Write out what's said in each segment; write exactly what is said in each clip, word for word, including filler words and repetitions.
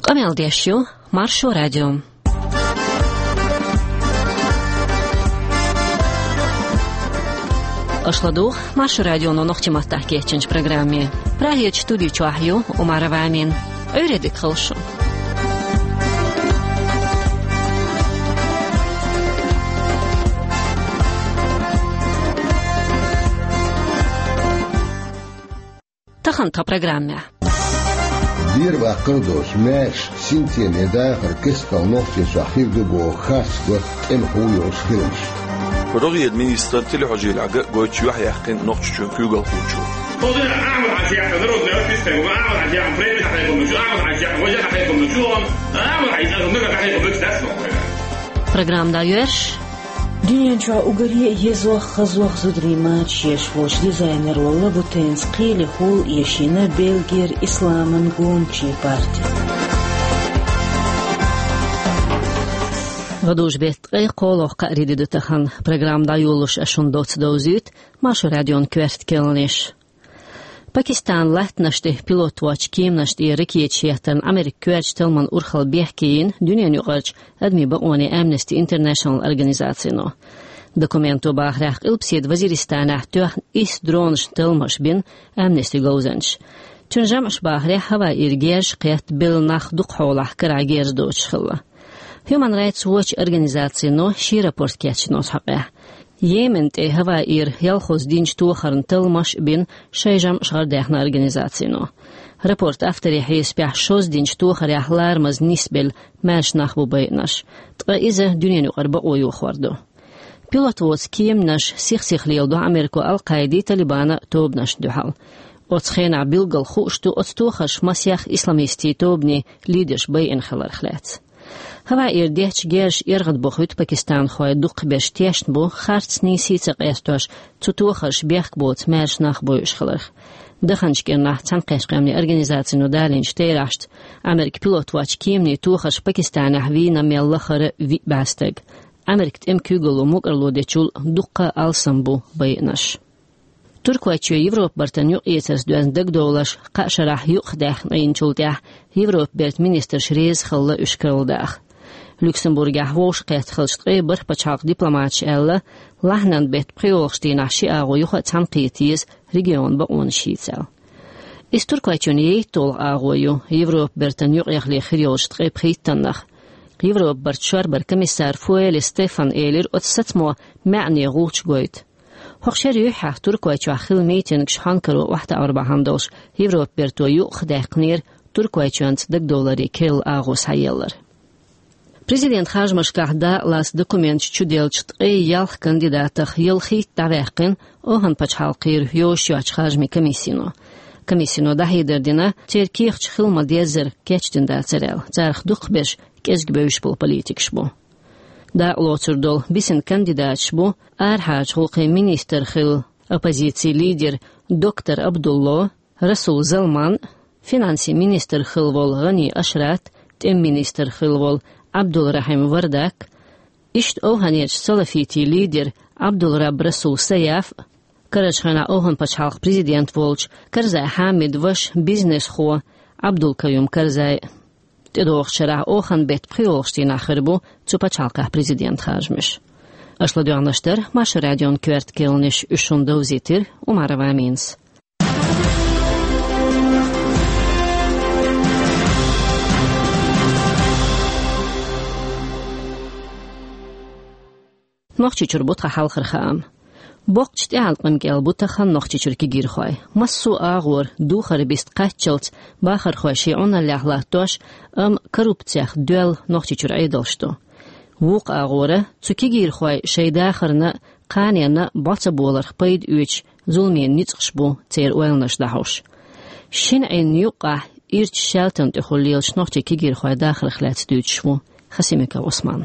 Къамел деш ю Маршо радио. Аша ладугӀу Маршо радионо нохчийн маттахь кечйинчу программе. Прагерчу студи чохь ю Умарова Амина. Ӏуьйре дика хуьлда шун. Тахана тхан программехь. Бер баккхар а доцуш, маьрша синтеме дахар кестта Нохчийчохь хир ду боху харц го тӀемахо йолуш хиламаш. РогӀера министран телехьожийлехь ган а гойтуш юьхьъяьккхина Нохчийчоьнан куьйгалхочо. Программа дӀайоьрзуш. Дуьнен чохь уггаре а езох, хазох зударий мачаш еш волчу дизайнеро Лабутенца кхелехула эшийна Бельгера исламан гончийн парти. ГӀадужу-беттан ткъе кхоалгӀа кхаарин де ду тахана. Программа дӀайолош ас шуна доцца довзуьйту Маршо радион коьрта керланаш. Пакистанан латтанаш тӀе пилот воцчу кеманаш тӀера ракеташ хӀоттарна Америкин коьртачу талламан урхалла бехке йина дуьненан юкъарчу адамийн бакъонийн Amnesty International организацино. Документо бахарехь, Къилбаседа Вазиристанехь тоьхна исс дронашна талламаш бина Amnesty говзанчаша. Цуьнан жамӀаша бахарехь, хӀаваира герзаш кхетта, белла нах дукхахьолахь карахь герз доцуш хилла. Human Rights Watch организацино шен рапорт кечйина оцу хьокъехь. Йемен тӀе хӀаваира ялхолгӀа динчу тохарна талламаш а бина шайн жамӀаш гӀардаьхна организацино. Рапортан авторийн хьесапехь, шозза динчу тохарехь ларамаза нисбелла маьрша нах бу байинарш, ткъа иза дуьненан юкъара бакъо йохор ду. Пилот воцу кеманаш сих-сиха леладо Америко Ал-Къаидин, Талибанан тобанашна дуьхьал. Оцу хенахь билггал хууш ду оцу тохарша масех исламистийн тобанийн лидерш байина хиларх лаьцна. ХӀаваира детташ герзаш эргӀадбохуьйту пакистанхой, дукхахберш тешна бу, харцнийн сий ца къестош, цу тохарша бехк боцу маьрша нах бойуш хиларх. Даханчу кӀирнахь Цхьаьнакхеттачу Къаьмнийн Организацино далийначу терахьашца, Америкин пилот воцчу кеманийн тохарша Пакистанехь вийна мел лахара виъ бӀе стаг. Америкин тӀеман куьйгалло мукӀарло дечул дуккха а алсам бу байинарш. Туркойчоь Европан бартана юкъаэцарца доьзна дагадовларш кхаа шарахь юкъадаьккхина Ӏийначул тӀаьхьа Европан бертан министраш реза хилла уьш карладаха. Люксембургехь вовшахкхетта хиллачу ткъе бархӀ пачхьалкхан дипломаташа аьлла, лахьанан беттан пхоьалгӀачу дийнахь ши агӀо юха а цхьаьнакхета еза регионан бакъонаш йийца аьлла. Иза Туркойчоьнан ейтталгӀа агӀо ю Европан бертана юкъахьле хир йолчу ткъе пхийттаннах. Европан бартан шорбаран комиссара Фюле Стефана элира оцу сацамо маьӀне гӀулч гойту. ХӀокху шеран юьххьехь Туркойчохь хилла митингаш хьонкаро охьатаӀар бахьана долуш, Европан берто юкъадаьккхинера Туркойчоьнца дагадовларе керла агӀо схьаеллар. Президентан харжамашкахь дакъалаца документаш чуделлачу ткъе ялх кандидатах ялхитта дӀаваьккхина Охан пачхьалкхера йозуш йоцчу харжамийн комиссино. Комиссино дӀахьедар дина, церан кехаташ хила ма-деззара кечдина дацара аьлла, царах дукхахберш кӀезиг бевзаш болу политикаш бу. Дакъалоцур долу бисина кандидаташ бу арахьарчу гӀуллакхийн министр хилла, оппозицин лидер доктор Абдулло, Расул Залман, финансийн министр хилла волу ГӀани Ашрат, тӀеман министр хилла волу Абдулрахим Вардак, иштта Оханерчу салафитийн лидер Абдулраб Расул Саяф, карарчу хенахь Охан пачхьалкхан президент волчу Карзай Хьамидан ваша, бизнесхо Абдулкаюм Карзай. ТӀедогӀучу шарахь Охан беттан пхоьалгӀачу дийнахь хир бу цу пачхьалкхехь президентан харжамаш. Аша ладоьгӀнарш дара Маршо радион коьрта керланаш, уьш шуна довзийтира Умарова Аминас. Нохчийчуьра бу тхан хьалхара хаам. Боккхачу тӀеӀаткъам кӀел бу тахана Нохчийчуьра кегийрхой. Массо а агӀора духар биста кхаччалц бахархой шен Ӏуналлехь латтош, амма коррупцех доьлла Нохчийчуьра Ӏедалш ду. Вукху агӀора цу кегийрхой шайн дахарна а, кханенна а бӀо ца боларх пайда оьцуш, зуламийн ницкъаш бу церан ойланаш дӀахьош. Шина Ӏин юккъехь ирча шаьлтан тӀехула лелачу нохчийн кегийрхойн дахарх лаьцна дуьйцуш ву Хасимиков Ӏусман.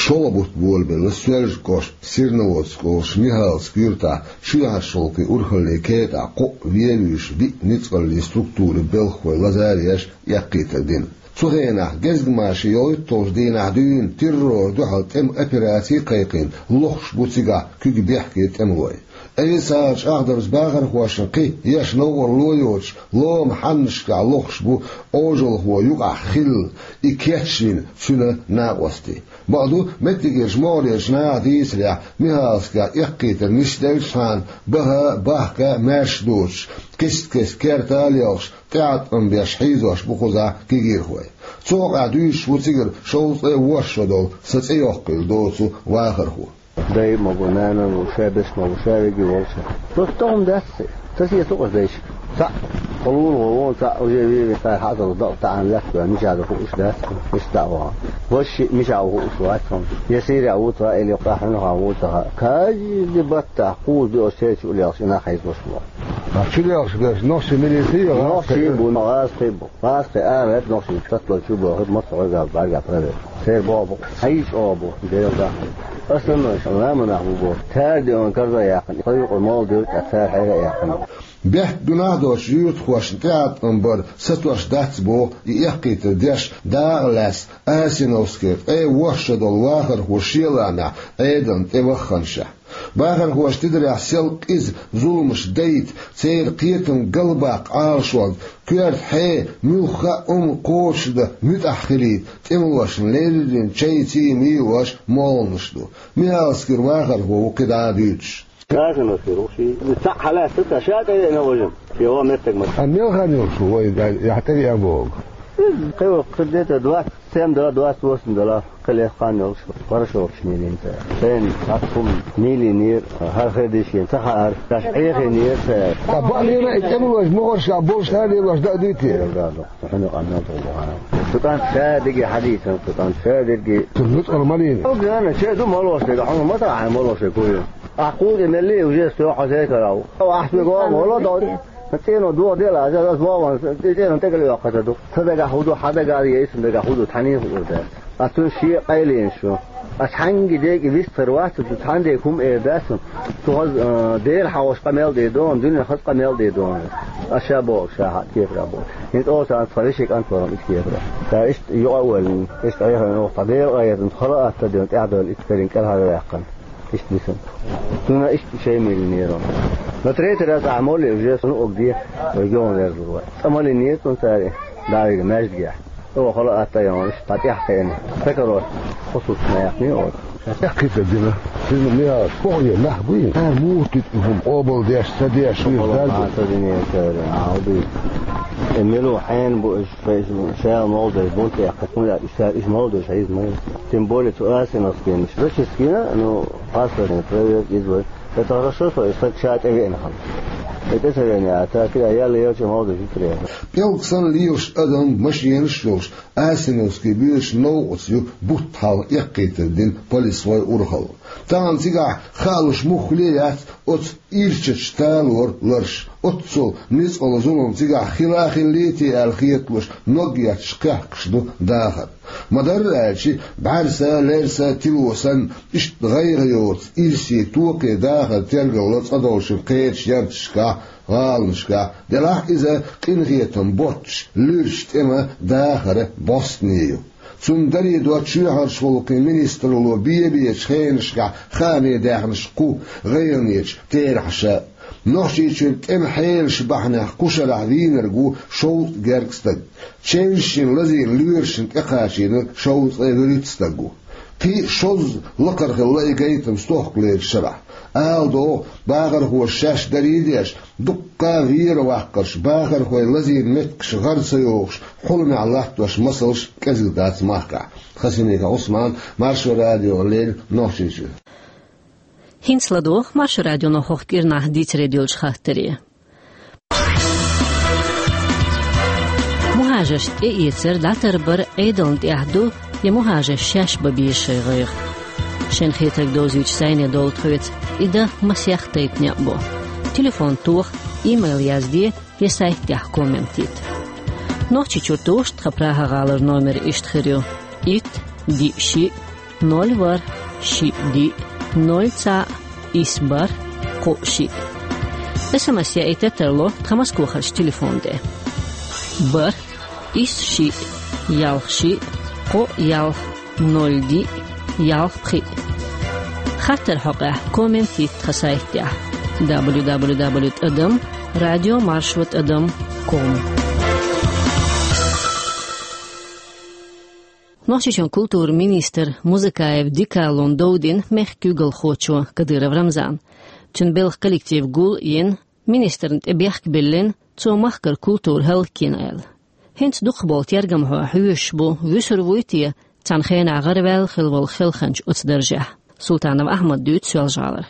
ШолгӀа бутт болабелла Соьлжа-кӀоштан Серноводск олучу Михайловскан юьртахь ши бӀе шолгӀа урхаллин кетӀахь кхоъ вен вуьйш виъ ницкъаллин структурин белхахой лазар еш эккхийтар дина. Цу хенахь гезгмашин йолуьйту долчу дийнахь дуьйна террорна дуьхьал тӀеман операций а кхайкхийна, лохуш бу цигахь куьг бехке тӀемалой. Ӏийса чӀагӀдарца бахархошна кхин а еш новкъарло йоцуш, лома хьаннашкахь лохуш бу Ӏожалхо юкъахь хилла, и кечвина цуьнан накъостий. Бакъду, меттигерчу могӀарерчу наха дийцарехь, Михайловскехь эккхийтар нисделлачхьана, баха а, бахка а маьрша доцуш, кест-кеста керта а лелхаш, тӀеӀаткъам беш хьийзош бу кхузахь кегийрхой. Цу хьокъехь дуьйцуш ву цигара шовзткъе ворхӀ шо долу, сан цӀе йоккхийла доцу вахархо. Дай а ма бу, нана а ма бу, шаберш а ма бу, ша верг а волуш. Просто тӀом дац, ца сецо аса дайшка. Цхьаъ, кхо лулахо вон цхьаъ уже веве, цара хьаъазалла дакъа таӀана лаьтта ваьлла, мичахь ду хууш дац, иштта дӀа а вахана. Важа шиъ мичахь ву хууш вац хьуна. Я Сирехь ву тха, или йоккхахь хьуьнахахь ву тха. Каждый баттахь кхуза доьӀуш церан чу а лелхаш, и нах хьийзош бу. А чу лелхаш берш нохчийн милиций я, нохчий бу, гӀазкхий бу. ГӀазкхий ара хӀетта нохчийн татталла чу бохург массо а гӀоьргал бӀаьрга проверка. Церан боху бу, хьийза чӀогӀа бу, Делан дуьхьа. Аса ма ламанах бу боху. Цара деана карза а яьккхина, тхан юкъа молла девриг а цара хьера а яьккхина. Бехк гуьнахь доцчу юьртахошна тӀеӀаткъам бар сатош дац боху и эккхийтар деш дакъа лаьцна Асиновскера ткъе ворхӀ шо долу вахархо шен лаамехь Ӏедална тӀе вахханашехь. Бахархоша тидарехь сел къиза зуламаш дайта, церан кхетам галбаккха Ӏалашонга, коьрта хье, муьлхха а хӀума кхочушдан муьтӀахь хилийта, тӀемалошна леррина чай-ций мийлош молханаш ду. Михайловскера вахархо ву кхидӀа а дуьйцуш. Асиновскера ву ши. Цхьаъ хьалаьцна ца, ша тӀевеана вожа. Йо, меттиг ма. А мел хан йолуш ву вай, яхь тӀевеана боху? Кхин ву, кхин где-то двадцать семь дала, двадцать восемь дала, кхин лех хан йолуш, парашолгаш мийлина цара. Шайна цхьацца хӀума мийлийнера, хӀара хир дийшина ца хаьара, шаьш Ӏехийнера цара. Ткъа бакъ лела и тӀемалойша могӀаршкахь болуш хӀара лелош даа дуй те? Хьуна къамел тӀе бахьана. Цу кӀанта ша дерриге хьадийцина, цу кӀанта ша дерриге. Цу нуцкъала ма лийна. Хьо гана, че ду молош дерг, хьуна ма таӀа молош дерг хӀу ю. Ахь кхуза мелли уже стоьхьа хьо сехкарал. Ахь соьга вахана, вала дан. ЦӀено дохаделла, аса аса вахана, цӀено тӀекӀел йоккхур ду. Сан дагахь хӀу ду, хьан дагахь а, я сан дагахь хӀу ду, тхьанийн хуур дац. Ас цунна шен къайле йина шу. Ас хьаьнгге дерг а вистхир вац, цу цхьаьнгге хӀума эр дац. Цу хаза, а, дера хьан ваша къамел де дона, дуьненан хаза къамел де дона. Ас ша боху, ша хьан кепара боху. ХӀинца оцу ас тхан вешин кӀант вара ит кепара. Ша иштта юкъа а ваьлла, иштта Ӏехарна оха тхан дера къайетан хала атта дена, тӀаьхьа дойла ит карин кӀелхьара ваьккхина. Иштта дисина. Цунна иштта шайн меллинера. Но третий раз ахь молли уже суна угде, вай геон верзур вай. Цкъа маллинера цунна цара, давига маьждигехь. О, хала атта ян, иштта тӀехь хеана. Сакарот, хусус маякни оцу. Эккхийтар дина. Шуна мегаш, кхо е нах буй. Ар муха тит хӀума, къобал деш, ца деш, шуьйра дарба. Ца динера цара, а, хӀу дуй. Э, милу хьенан бу уьш? Шайн шел молдеш бунт яьккхина, хӀунда аьлча иштта иша молдеш хьийза ма ю. Тем более цу Асиновскийнаш. Зачистка йина, ну, паспортный проверка иза вай. Это хорошо, что и стаг ша тӀевеана хьан. И тӀе ца веана, а так, я, ял елча молдеш ю тӀе. ПӀелг санна лелаш адам, машенаш а йолуш, Асиновский буьйцу новкъаца ю бутт хьалха эккхийтар дина полисхой урхалла. Тахана цигахь хаалуш муххале а яц оцу ирчачу талор ларш. Оццул ницкъала зулам цигахь хила а хиллий те аьлла хеталуш, ног етташ кхехкаш ду дахар. Ма-дарра аьлча, бӀаьрса, лерса, тило санна, иштта гӀайгӀа йоцу ирсе, токхе дахар тергалло цкъа долчун кхечу ярташкахь, гӀаланашкахь, делахь иза къинхетам боццуш, луьрачу тӀеман дахаран бӀостаний ю. Цунна даре до чоьхьарчу гӀуллакхийн министралло бен-бечу хенашкахь хаамийн даьхнаш кху гӀайгӀанечу терахьаша. Нохчийчуьра тӀеман хьелаш бахьанехь кху шарахь вийнарг ву шовзткъа гергга стаг. Чевшшина лазийна лоьрашна тӀекхачийнарг шовзткъе вуьрхӀитта стаг ву. Кхин а шозза лакхара хилла и гайтам стохкалерчу шарахь. Ала догӀу, бахархоша шаьш дарий а деш, дуккха а вера ваккхарш, бахархой лазийна меттигаш гӀара ца йохуш, хьуламехь латтош масалш кӀезиг дац махкахь. Хасимиков Ӏусман, Маршо радиона леррина Нохчийчуьра. ХӀинца ладогӀа Маршо радионо хӀокху кӀирнахь дийцаре доьллачу хаттаре. Мухажарш тӀеэцар, дӀатарбар Ӏедална тӀехь ду, я мухажарш шаьш бан беза шайн гӀайгӀа? Шайн хетарг довзуьйтуш зӀене довла тхоьца, и дан масех тайпа некъ бу. Телефон тоха, имейл язде, я сайт тӀехь коммент йита. Нохчийчуьра тоьшуш тхан Прага-гӀалара номер иштта хир ю: итт, диъ, шиъ, ноль, ворхӀ, шиъ, диъ, ноль, цхьаъ, исс, бархӀ, кхоъ, шиъ. СМС яийта тарло тхан Москвахарчу телефон тӀе: бархӀ, исс, шиъ, ялх шиъ, кхоъ ялх, ноль диъ, ялх пхиъ. Хаттар хьокъехь коммент йитта тхан сайтехь: дабл ю дабл ю дабл ю тӀадам радио маршо тӀадам ком. Нохчийчоьнан культуран министр Музыкаев Дикалон дов дина мехкан куьйгалхочо Кадыров Рамзана. Цуьнан белхан коллектив гул а йина, министрна тӀе бехк а биллина, цо махкара культура хӀаллакйина аьлла. ХӀинца дукхахболу тергамхой хьоьшуш бу, вуьсур вуй те цхьана хенахь гӀараваьлла хилла волу хелханча оцу даржехь. Султанов Ахьмада дуьйцу Соьлжа-ГӀалара.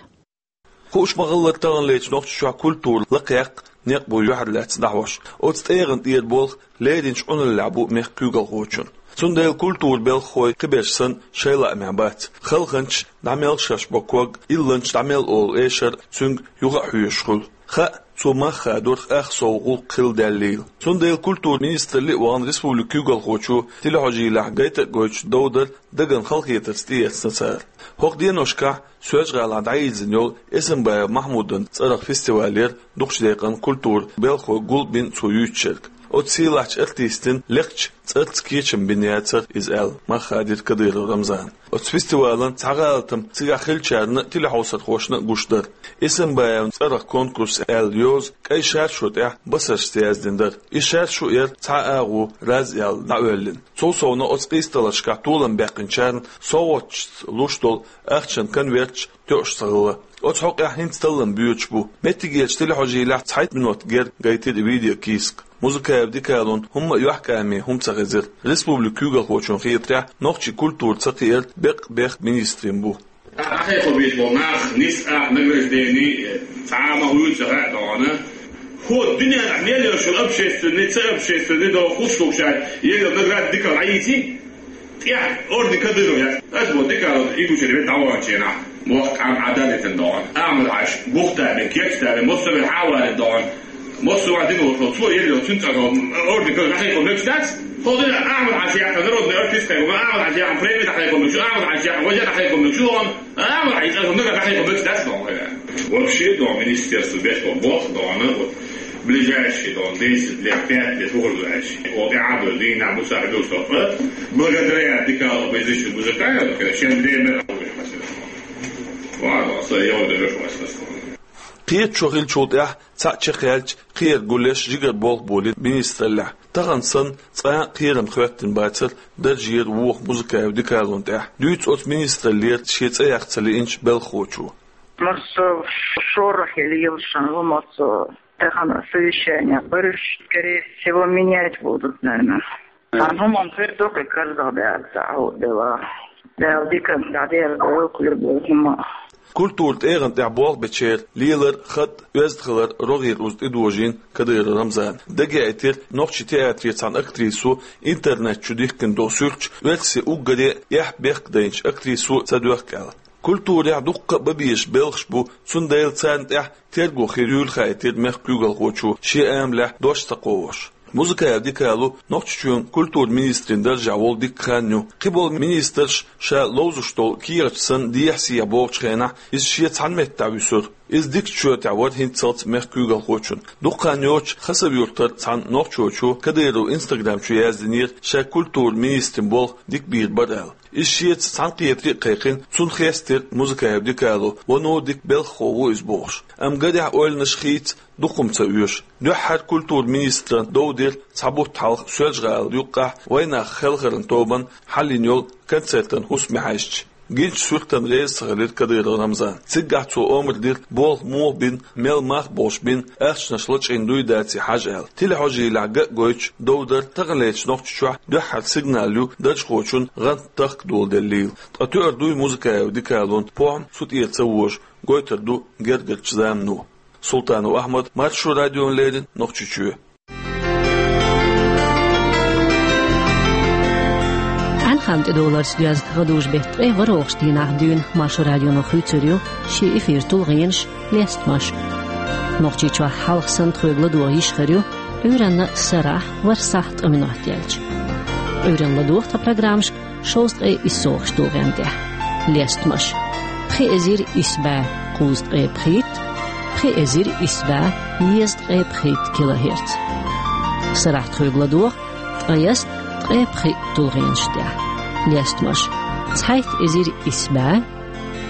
Хууш ма-хиллара, таханлерчу Нохчийчохь культура лакхаяккха некъ бу юьхьарлаьцна дӀахьош. Оцу тӀегӀан тӀера болх леринчу Ӏуналлехь бу мехкан куьйгалхочун. Цундела культуран белхахой кхиберш санна шайн лаамехь бац. Хелханчаш дӀа мел шаьш бо ког, илланчаш дӀа мел олу эшар цуьнга юха а хьоьшуш хуьлу. Хаьа, цо мах хадорах ах сов гӀуллакх хилла даьллийла. Цундела культуран министралле а вахана республикан куьйгалхочо телехьожийлахь гайта а гойтуш дов дара, дагна халахетарца тӀеэцна цара. ХӀокху деношкахь Соьлжа-ГӀалахь дӀайирзина йолу Эсамбаев Махьмудан цӀарах фестивалера дукхачу декъана культуран белхахой гул а бина цо юьйцучуьнга. Оцу сийлахьчу артистана лекхачу цӀарца кечам бина яцара иза аьлла, мах хадийра Кадыров Рамзана. Оцу фестивалан цхьа гӀалатам цигахь хиллачарна а, телехьовсархошна а гуш дара. Эсамбаевн цӀарах конкурс аьлла йоза кӀайн шаршу тӀехь басаршца яздина дара. И шаршу яра цхьа агӀо раз аьлла дӀаоьллина. Цул совнаха оцу къийсадаларшкахь толам баьккхинчарна совгӀаташца луш долу ахчанан конверташ тоьуш ца хилла. Оцу хьокъехь хӀинца таллам боьдуш бу. Меттигерчу телехьожийлахь цхьайтта минот герга гайтира и видеокийсак. Музыкаев Дикалон хӀумма а юьхькӀаме хӀума ца хезира. Республикан куьйгалхочун хетарехь, нохчийн культура ца кхиар беккъа бехк министран бу. Ахьа хьо бийца болу нах, нис а награждени, цхьа а ма хуьйцу хаьа догӀана. ХӀо дуьненахь мел йолчу общественный, ца общественный догӀу хӀуш лугуш аьлла, елла награда дика Ӏийци, тӀехь орден Кадыров яц. Ас бо дика и гучуьра ве дӀаваханчу хенахь, мохк Ӏам Ӏадалитан догӀана. Ахьмад-Хьаьжа, Бухтаби, Кечдаби, Моссове хьавалин догӀана. Моссове дина волчу, цо елла цуьнан цӀарахь орден Кадыров дӀахайкхо мегаш дац. ХӀо дина Ахьмад-Хьаьжа яхна народный артист хайкхо, Ахьмад-Хьаьжа яхна преми дӀахайкхо мегаш, Ахьмад-Хьаьжа яхна вежарий дӀахайкхо мегаш догӀана. А, вай, иза хӀума дӀахьийха бекъ дац, ма вай. Вообще, дон, министерство беш бо боху, дон, вот, ближайшие, дон, десять лет, пять лет, хӀун ду аьлча. О, тӀе Ӏа ду, дийнахь бу сахьа ду со. Благодаря Дикалову иза шу буза кайо, шен время. Ладно, со, я вот, я вот, я вот. Кхеташо хиллачул тӀаьхьа цхьаъ чекхъяьлча, кхиар гулъеш жигара болх болийра министраллехь. Тахана санна, цкъа а кхерам хӀоьттина бацара даржера вуха Музыкаев Дикалон тӀехь. Дуьйцу оцу министраллера шен цӀе яккха ца лиъначу белхахочо. Массо шорохь лелаш хӀума оцу тахана совещание бараш, скорее всего, менять будут, наверное. Цхьана хӀуманна хир ду кхин карзах баьлла, цхьа хӀума дела. Дала дика дӀадерзадойла кхуьра болу хӀума. Культуран тӀегӀан тӀехь болх бечеран лелар, хатӀ, оьзда хилар рогӀера уза тӀедожийна Кадыров Рамзана. Дагеаийтира нохчийн театре цхьана актрисо интернет чу дихкина долу суьрташ, оьрсийн уггаре а эхь-бехк дайначу актрисо ца доьхку аьлла. Культурехь дуккха а бан безаш белхаш бу, цундела царна тӀехь терго хир юйла хаийтира мехкан куьйгалхочо шен амалехь дош ца кховдош. Музыкаев Дикало Нохчийчоьнан культуран министран даржехь волу дикка хан ю. Кхиболу министраш ша ловзуш долу кехаташ санна дехьа-сехьа богӀучу хенахь, иза шен цхьана меттехь вуьсура. Иза дикачу шоьтехь вара хӀинццалц мехкан куьйгалхочун. Дукха хан йоццуш Хасавюртара цхьана нохчочо Кадыровн Instagram чу яздинера, ша культуран министран болх дика бийр бара аьлла. Иза шеца цхьаьнакхетаре а кхайкхина, цунна хестира Музыкаев Дикало, вуно дика белхахо ву иза бохуш. Амма гарехь ойланаш хийца дукха хӀума ца оьшу. Дуьххьара культуран министран дов дира цхьа бутт хьалха Соьлжа-ГӀалин юккъехь вайнах хелхаран тобанна хьалйина йолу концертан хӀусаме хьаьжча. Гинчу суьртана реза ца хилира Кадыров Рамзан. Цигахь цо омра дира, болх муха бина, мел мах болуш бина, ахчанаш лачкъийна дуй, даций хьажа аьлла. Телехьожийлахь ган а гойтуш, дов дара таханлерчу Нохчийчохь дуьххьара сигнал ю даржхочун гӀантан тахка доладеллийла. Ткъа тоьар дуй Музыкаев Дикалон похӀма цу тӀера ца вожу, гойтур ду гергарчу замано. Султанов Ахьмад, Маршо радиона леррина, Нохчийчоь. Ӏаьнхан тӀедовларца доьзна гӀадужу беттан ткъе ворхӀалгӀачу дийнахь дуьйна Маршо радионо хуьйцур ю шен эфиран тулгӀенаш, лестамаш. Нохчийчохь хьалха санна тхоьга ладогӀа йиш хир ю Ӏуьйранна сарахь, ворхӀ сахьт ткъа минот яьлча. Ӏуьйранна ладогӀа тхан программашка шовзткъе иссалгӀачу тулгӀенна тӀехь. Лестамаш: пхи эзар исс бӀе кхузткъе пхийтта, пхи эзар исс бӀе езткъе пхийтта килогерц. Сарахь тхоьга ладогӀа ткъаяст ткъе пхиъ тулгӀенаш тӀехь. Лестамаш: цхьайтта эзар исс бӀе,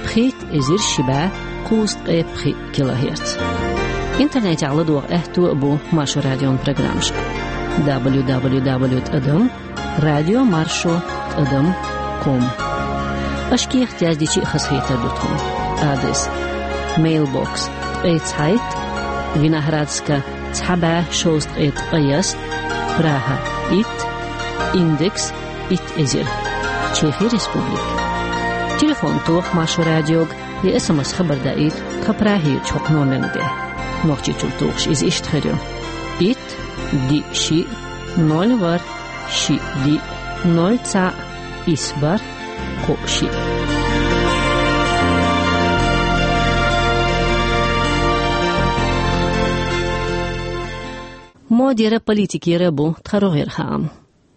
пхийтта эзар ши бӀе кхузткъе пхиъ килогерц. Интернетехь ладогӀа аьтто а бу Маршо радион программашка: дабл ю дабл ю дабл ю тӀадам радио маршо тӀадам ком. Аша кехат яздича а хазахетар ду тхуна. Адрес: мейлбокс ткъе цхьайтта, Виноградска цхьа бӀе шовзткъе ткъаяст, Прага итт, индекс итт эзар, Чехи Республика. Телефон тоха Маршо радиога, я СМС хабар даийта тхан Прагерчу хӀокху номерна тӀе. Нохчийчуьра тухуш иза иштта хир ю: итт, диъ, шиъ, ноль, ворхӀ, шиъ, диъ, ноль, цхьаъ, исс, бархӀ, кхоъ, шиъ. Модера, политикера бу тхан рогӀера хаам.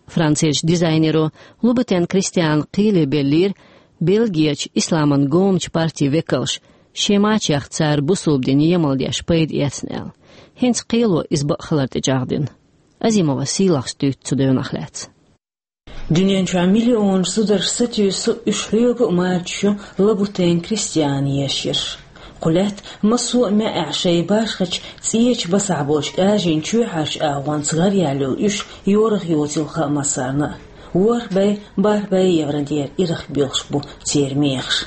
Францерчу дизайнеро Лубутен Кристиана кхеле беллера Бельгерчу исламан гомачу партин векалш шен мачех цара бусалба дин емал деш пайда эцна аьлла. ХӀинца кхело иза бакъ хилар тӀечӀагӀдина. Азимова Сийлахьс дуьйцу цу девнах лаьцна. Дуьнен чохь миллионаш зударш сатуьйсу, уьш хьоьга а мачаш ю Лабутен Кристиана еш ерш. Кху лаьтта массо а маьӀӀехь шайн башхачу цӀечу басахь болчу кӀажийн чоьхьарчу агӀонца гӀараяьлла йолу уьш йорах йоцийла хаьа массарна а. ВорхӀ бӀе, бархӀ бӀе евро дера ирах боьлхуш бу церан мехаш.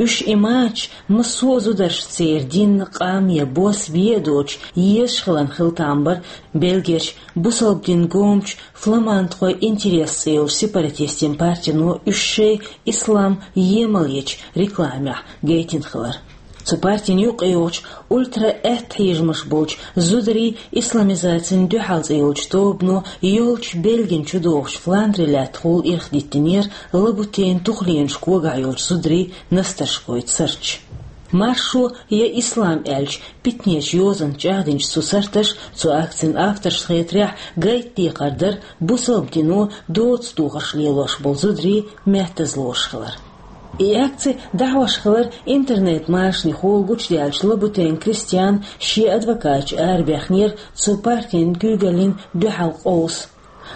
Уьш, и мачаш, массо а зударш церан дин, къам я бос бен а доцуш, езаш хиларна хила там бара Бельгерчу бусалба дин гомачу «Фламандхойн интерес» цӀе йолчу сепаратистийн партино уьш шайн ислам емал ечу рекламехь гайтина хилар. Цу партина юкъайогӀучу ультра-аьттахьежамаш болчу «Зударий исламизацина дуьхьал» цӀе йолчу тобано йолчу Бельгина чудогӀучу Фландри лаьттахула ирхдиттинера Лабутенан тухленаш когахь йолчу зударийн настаршкойн сурташ. Маршо я ислам аьллачу питанечу йозанца чӀагӀдинчу цу сурташа, цу акцин авторшна хетарехь, гайта декхар дара бусалба дино доцу духарш лелош болу зударий меттаза лоруш хилар. И акци дӀахьош хилар интернет-машанехула гучудаьллачу Лабутен Кристиана шен адвокаташа арабехнера цу партин куьйгаллин дуьхьал къовса.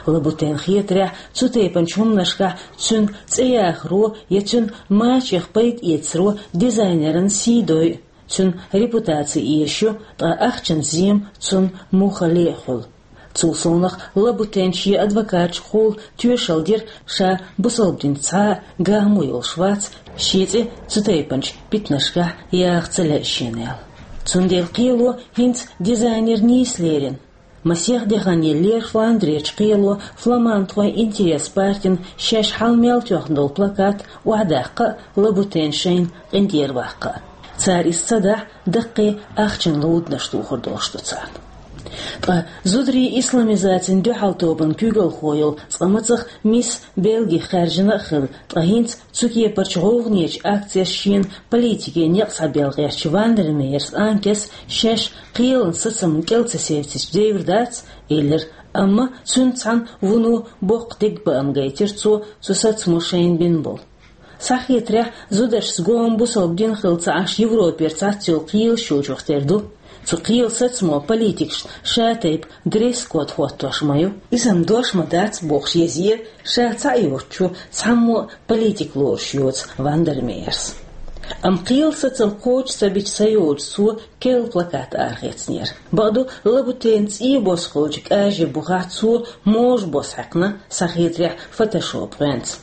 Лабутенна хетарехь, цу тайпанчу хӀуманашкахь цуьнан цӀе яхаро я цуьнан мачех пайда эцаро дизайнеран сий дойу, цуьнан репутаци эшайо, ткъа ахчан зема цунна муххале а хуьлу. Цул совнаха, Лабутенна шен адвокаташкахула тоьшалла дира, ша бусалба динца цхьа а гаммо йолуш вац, шен цӀе цу тайпанчу питанашкахь яха ца лаьа шена аьлла. Цундела кхело хӀинца дизайнер нийса лерина. Масех де хан еллера Фландрерчу кхело «Фламандхойн интерес» партина шаьш хьал мел тоьхна долу плакат охьадаккха а, Лабутен шайна къинтӀера ваккха а. Цара иза ца дахь, даккхий ахчан луданаш тухур долуш ду царна. Ткъа зударий исламизацина дуьхьал тобанан куьйгалхо йолу цкъа мацах мисс Бельги хаьржина а хилла, ткъа хӀинца цу кепарчу гӀовгӀанечу акцеш шена политике некъ схьабелла гӀертачу Вандермеерс Анкес шаьш кхелан сацамна кӀел ца севцича девр дац, элира, амма цуьнца цхьаьна вуно боккха дегабаам гайтира цо цу сацамо шайна бина болу. Схьахетарехь, зударшца гом бусалба дин хилла ца Ӏаш Европера цхьацца йолу кхелаш йолчух тера ду. Цу кхелан сацамо политикашна ша тайпа дресс-код хӀоттош ма ю. Иза-м дош ма дац бохуш еза, ша цхьаъ йоцучо цхьаммо а политика лоруш йоцу Вандермеерс. Амма кхелан сацам кхочуш ца бича ца йолчу цо керла плакат арахецнера. Бакъду, Лабутенан цӀий бос хуьлучу кӀажийн бухахь цо можа бос хьаькхна, схьахетарехь, фотошоп гӀоьнца.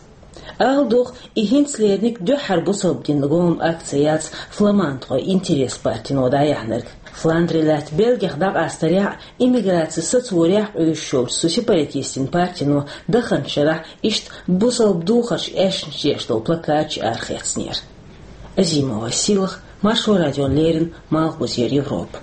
Ала догӀу, и хӀинца леринарг дуьххьара бусалба динан гом акци яц «Фламандхойн интерес» партино дӀаяьхьнарг. Фландри лаьтта Бельгех дӀакъастарехь а, иммиграци сацорехь а къуьйсуш йолчу цу сепаратистийн партино даханчу шарахь иштта бусалба духарш аьшнаш деш долу плакаташ арахецнера. Азимова Сийлахь, Маршо радиона леррина, Малхбузера Европа.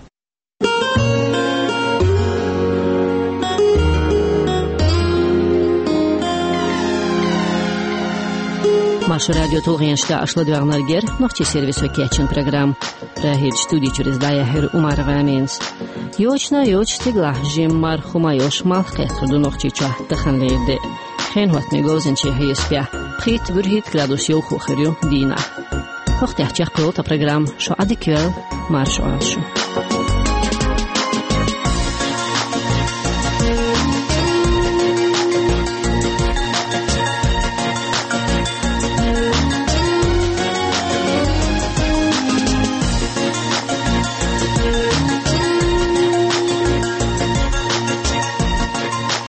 Маршо радион тулгӀенаш тӀехь аша ладоьгӀнарг яра нохчийн сервисо кечйина программа. Прагерчу студи чуьра иза дӀаяьхьира Умарова Аминас. Йочана а йоцуш, стигалахь жимма марха хӀума а йолуш, малх кхеттар ду Нохчийчохь таханлера де. Хенан хӀоттамехь говзанчийн хьесапехь пхийтта-буьрхӀитта градус йовхо хир ю дийнахь. ХӀокху тӀехь чекхйолу тхан программа. Шу Ӏадика йойла, марша Ӏойла шу.